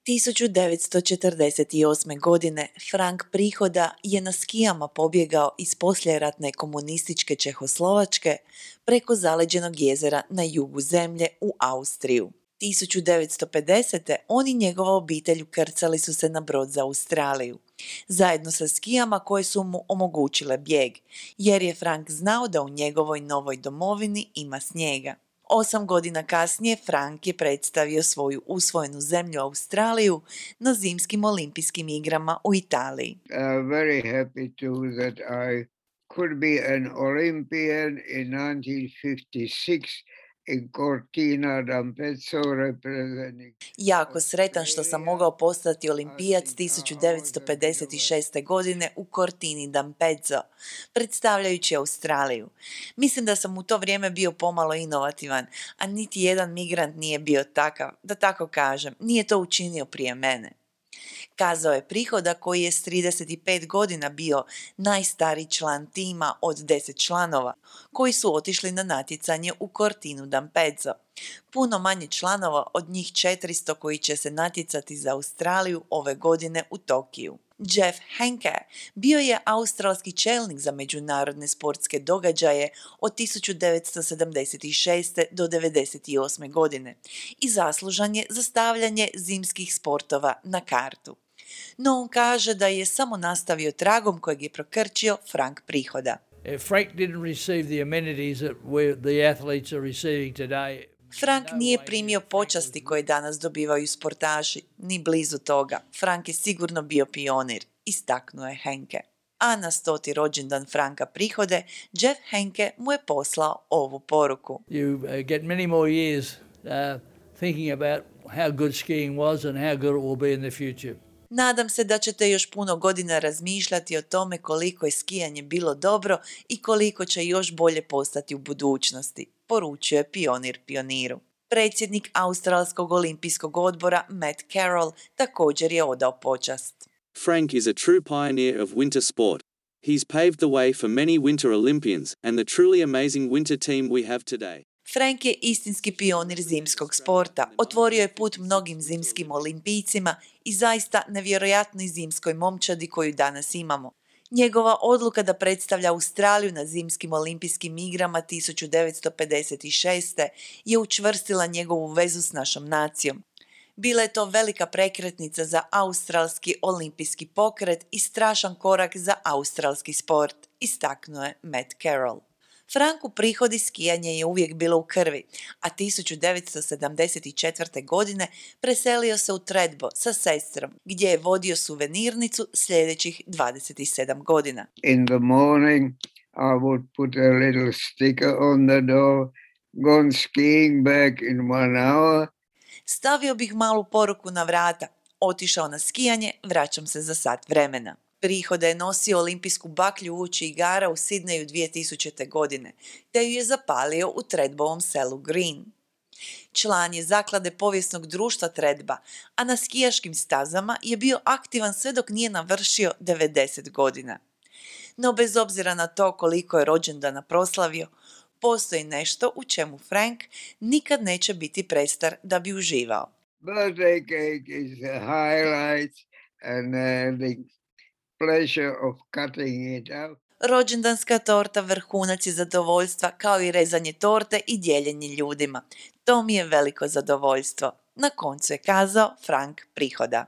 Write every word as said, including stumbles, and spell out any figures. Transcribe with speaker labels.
Speaker 1: tisuću devetsto četrdeset osme. godine Frank Prihoda je na skijama pobjegao iz poslijeratne komunističke Čehoslovačke preko zaleđenog jezera na jugu zemlje u Austriju. tisuću devetsto pedesete. on i njegova obitelj ukrcali su se na brod za Australiju, zajedno sa skijama koje su mu omogućile bijeg, jer je Frank znao da u njegovoj novoj domovini ima snijega. Osam godina kasnije Frank je predstavio svoju usvojenu zemlju Australiju na zimskim olimpijskim igrama u Italiji.
Speaker 2: Uh, very happy too that I could be an Olympian in nineteen fifty-six in Cortina d'Ampezzo representing.
Speaker 1: Jako sretan što sam mogao postati olimpijac tisuću devetsto pedeset šeste. godine u Cortini d'Ampezzo, predstavljajući Australiju. Mislim da sam u to vrijeme bio pomalo inovativan, a niti jedan migrant nije bio takav, da tako kažem, nije to učinio prije mene. Kazao je Prihoda, koji je s trideset pet godina bio najstariji član tima od deset članova koji su otišli na natjecanje u Cortinu d'Ampezzo. Puno manje članova od njih četiristo koji će se natjecati za Australiju ove godine u Tokiju. Jeff Henke bio je australski čelnik za međunarodne sportske događaje od tisuću devetsto sedamdeset šeste. do devedeset osme. godine i zaslužan je za stavljanje zimskih sportova na kartu. No on kaže da je samo nastavio tragom kojeg je prokrčio Frank Prihoda.
Speaker 3: Frank didn't receive the amenities that the athletes are receiving today.
Speaker 1: Frank nije primio počasti koje danas dobivaju sportaši, ni blizu toga. Frank je sigurno bio pionir, istaknuo je Henke. A na stoti rođendan Franka Prihode, Jeff Henke mu je poslao ovu poruku.
Speaker 3: You uh, get many more years uh, thinking about how good skiing was and how good it will be in the future.
Speaker 1: Nadam se da ćete još puno godina razmišljati o tome koliko je skijanje bilo dobro i koliko će još bolje postati u budućnosti, poručio je pionir pioniru. Predsjednik Australskog olimpijskog odbora Matt Carroll također je odao počast.
Speaker 4: Frank is a true pioneer of winter sport. He's paved the way for many winter Olympians and the truly amazing winter team we have today.
Speaker 1: Frank je istinski pionir zimskog sporta, otvorio je put mnogim zimskim olimpijcima i zaista nevjerojatnoj zimskoj momčadi koju danas imamo. Njegova odluka da predstavlja Australiju na zimskim olimpijskim igrama tisuću devetsto pedeset šeste. je učvrstila njegovu vezu s našom nacijom. Bila je to velika prekretnica za australski olimpijski pokret i strašan korak za australski sport, istaknuo je Matt Carroll. Franku Prihodi skijanje je uvijek bilo u krvi, a tisuću devetsto sedamdeset četvrte. godine preselio se u Tredbo sa sestrom, gdje je vodio suvenirnicu sljedećih dvadeset sedam godina.
Speaker 2: In the morning I would put a little sticker on the door, gone skiing back in one hour.
Speaker 1: Stavio bih malu poruku na vrata, otišao na skijanje, vraćam se za sat vremena. Prihoda je nosio olimpijsku baklju uoči igara u Sidneju dvije tisućite. godine, te ju je zapalio u Tredbovom selu Green. Član je zaklade povijesnog društva Tredba, a na skijaškim stazama je bio aktivan sve dok nije navršio devedeset godina. No bez obzira na to koliko je rođendana proslavio, postoji nešto u čemu Frank nikad neće biti prestar da bi uživao.
Speaker 2: Birthday cake is the highlight and uh, the pleasure of cutting it out.
Speaker 1: Rođendanska torta vrhunac je zadovoljstva, kao i rezanje torte i dijeljenje ljudima. To mi je veliko zadovoljstvo. Na koncu je kazao Frank Prihoda.